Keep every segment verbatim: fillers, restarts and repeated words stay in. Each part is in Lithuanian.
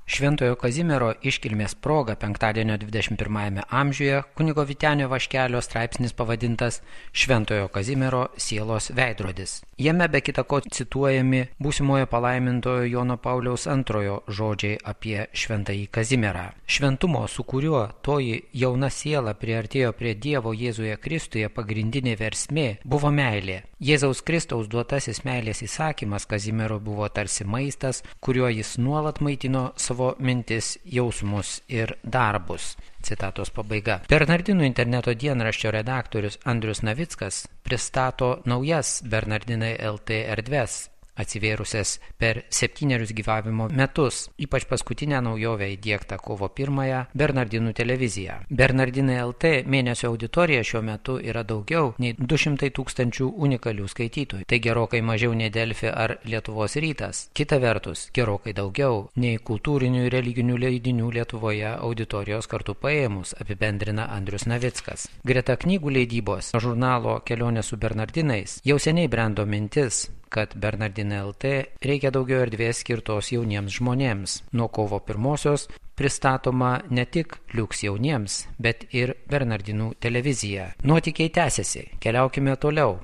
Šventojo Kazimiero iškilmės proga penktadienio dvidešimt pirmajame amžiuje kunigo Vytenio Vaškelio straipsnis pavadintas Šventojo Kazimiero sielos veidrodis. Jame be kita ko cituojami būsimojo palaimintojo Jono Pauliaus antrojo žodžiai apie Šventąjį Kazimierą. Šventumo, su kuriuo toji jauna siela priartėjo prie Dievo Jėzuje Kristuje, pagrindinė versmė buvo meilė. Jėzaus Kristaus duotasis meilės įsakymas Kazimiero buvo tarsi maistas, kuriuo jis nuolat maitino savo mintis, jausmus ir darbus. Citatos pabaiga. Bernardinų interneto dienraščio redaktorius Andrius Navickas pristato naujas Bernardinai L T erdves, atsivėrusias per septynerius gyvavimo metus, ypač paskutinę naujovę įdiegtą kovo pirmąją Bernardinų televiziją. Bernardinai L T mėnesio auditorija šiuo metu yra daugiau nei du šimtai tūkstančių unikalių skaitytojų. Tai gerokai mažiau nei Delfi ar Lietuvos rytas. Kita vertus, gerokai daugiau nei kultūrinių ir religinių leidinių Lietuvoje auditorijos kartu paėmus, apibendrina Andrius Navickas. Greta knygų leidybos žurnalo Kelionė su Bernardinais jau seniai brendo mintis, kad Bernardinai L T reikia daugiau erdvės skirtos jauniems žmonėms. Nuo kovo pirmosios pristatoma ne tik liuks jauniems, bet ir Bernardinų televizija. Nuotykiai tęsiasi, keliaukime toliau,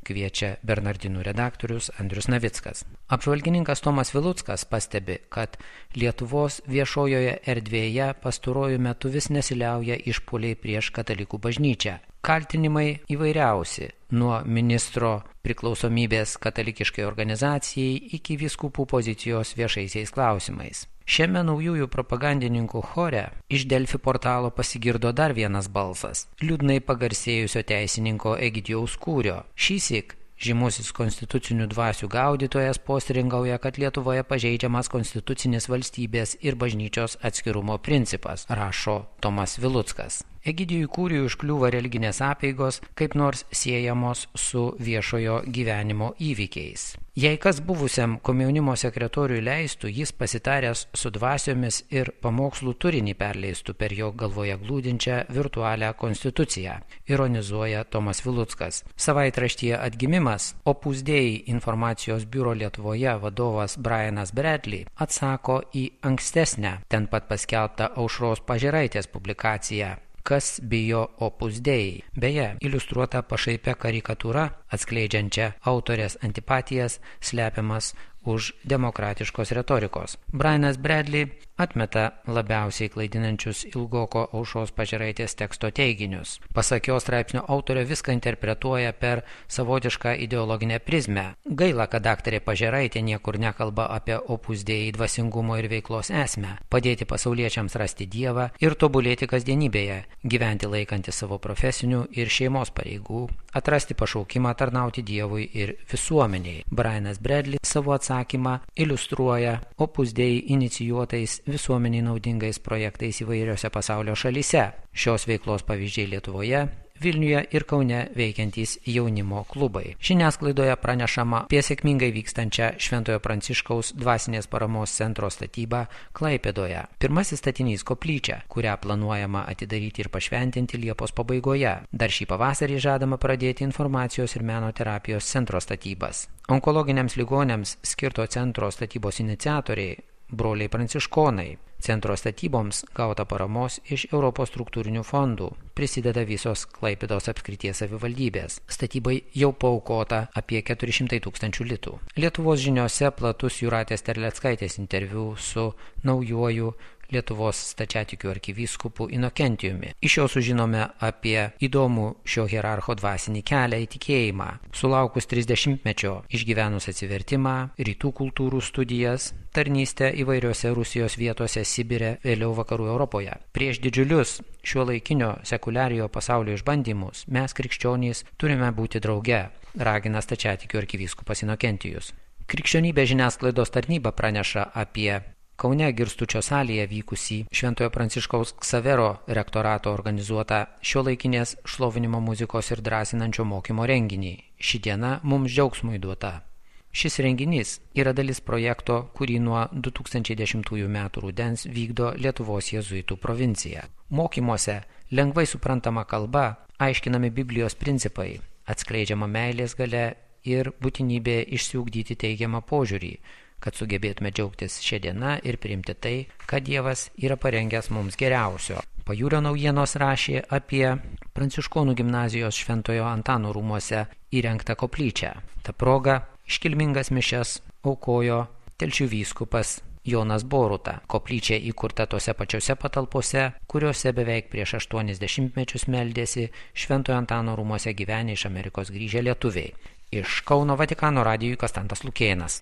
kviečia Bernardinų redaktorius Andrius Navickas. Apžvalgininkas Tomas Viluckas pastebi, kad Lietuvos viešojoje erdvėje pastaruoju metu vis nesiliauja išpuoliai prieš katalikų bažnyčią. Kaltinimai įvairiausi, nuo ministro priklausomybės katalikiškai organizacijai iki vyskupų pozicijos viešaisiais klausimais. Šiame naujųjų propagandininkų chore iš Delfi portalo pasigirdo dar vienas balsas – liūdnai pagarsėjusio teisininko Egidijaus Kūrio. Šįsyk žymusis konstitucinių dvasių gaudytojas postringauja, kad Lietuvoje pažeidžiamas konstitucinis valstybės ir bažnyčios atskirumo principas, rašo Tomas Viluckas. Egidijui Kūriui užkliūva religinės apeigos, kaip nors siejamos su viešojo gyvenimo įvykiais. Jei kas buvusiam komjaunimo sekretoriui leistų, jis pasitaręs su dvasiomis ir pamokslų turinį perleistų per jo galvoje glūdinčią virtualią konstituciją, ironizuoja Tomas Viluckas. Savaitraštyje Atgimimas Opus Dei informacijos biuro Lietuvoje vadovas Brianas Bradley atsako į ankstesnę, ten pat paskelbtą Aušros Pažėraitės publikaciją Kas bijo Opus Dei. Beje, iliustruota pašaipia karikatūra, atskleidžiančia autorės antipatijas, slepiamas už demokratiškos retorikos. Brianas Bradley atmeta labiausiai klaidinančius ilgoko Aušros Pažėraitės teksto teiginius. Pasak jo straipsnio autorė viską interpretuoja per savotišką ideologinę prizmę. Gaila, kad daktarė Pažėraitė niekur nekalba apie Opus Dei dvasingumo ir veiklos esmę, padėti pasauliečiams rasti Dievą ir tobulėti kasdienybėje, gyventi laikantis savo profesinių ir šeimos pareigų, atrasti pašaukimą tarnauti Dievui ir visuomeniai. Brianas Bradley savo atsakymą iliustruoja Opus Dei inicijuotais visuomeniai naudingais projektais įvairiose pasaulio šalyse. Šios veiklos pavyzdžiai Lietuvoje, Vilniuje ir Kaune veikiantys jaunimo klubai. Žiniasklaidoje pranešama apie sėkmingai vykstančią Šventojo Pranciškaus dvasinės paramos centro statybą Klaipėdoje. Pirmasis statinys koplyčia, kurią planuojama atidaryti ir pašventinti Liepos pabaigoje. Dar šį pavasarį žadama pradėti informacijos ir meno terapijos centro statybas. Onkologiniams ligoniams skirto centro statybos iniciatoriai broliai pranciškonai. Centro statyboms gauta paramos iš Europos struktūrinių fondų. Prisideda visos Klaipėdos apskrities savivaldybės. Statybai jau paaukota apie keturi šimtai tūkstančių litų. Lietuvos žiniose platus Jūratės Terleckaitės interviu su naujuoju Lietuvos stačiatikių arkivyskupu Inokentijumi. Iš jo sužinome apie įdomų šio hierarcho dvasinį kelią į tikėjimą. Sulaukus trisdešimtmečio išgyvenus atsivertimą, rytų kultūrų studijas, tarnystę įvairiose Rusijos vietose Sibire, vėliau vakarų Europoje. Prieš didžiulius šiuolaikinio sekuliariojo pasaulio išbandymus mes krikščionys turime būti drauge, ragina stačiatikių arkivyskupas Inokentijus. Krikščionybės žiniasklaidos tarnyba praneša apie Kaune Girstučio salėje vykusį Šventojo Pranciškaus Ksavero rektorato organizuotą šiuolaikinės šlovinimo muzikos ir drąsinančio mokymo renginį. Ši diena mums džiaugsmui duota. Šis renginys yra dalis projekto, kurį nuo du tūkstančiai dešimtųjų metų rudens vykdo Lietuvos jėzuitų provincija. Mokymuose lengvai suprantama kalba, aiškinami Biblijos principai, atskleidžiama meilės galia ir būtinybė išsiugdyti teigiamą požiūrį, kad sugebėtume džiaugtis šią dieną ir priimti tai, kad Dievas yra parengęs mums geriausio. Pajūrio naujienos rašė apie Pranciškonų gimnazijos Šventojo Antano rūmuose įrengtą koplyčią. Ta proga iškilmingas mišias aukojo Telšių vyskupas Jonas Boruta. Koplyčia įkurta tose pačiose patalpose, kuriuose beveik prieš aštuonis dešimtmečius meldėsi Šventojo Antano rūmuose gyvenę iš Amerikos grįžę lietuviai. Iš Kauno Vatikano radijui Konstantas Lukėnas.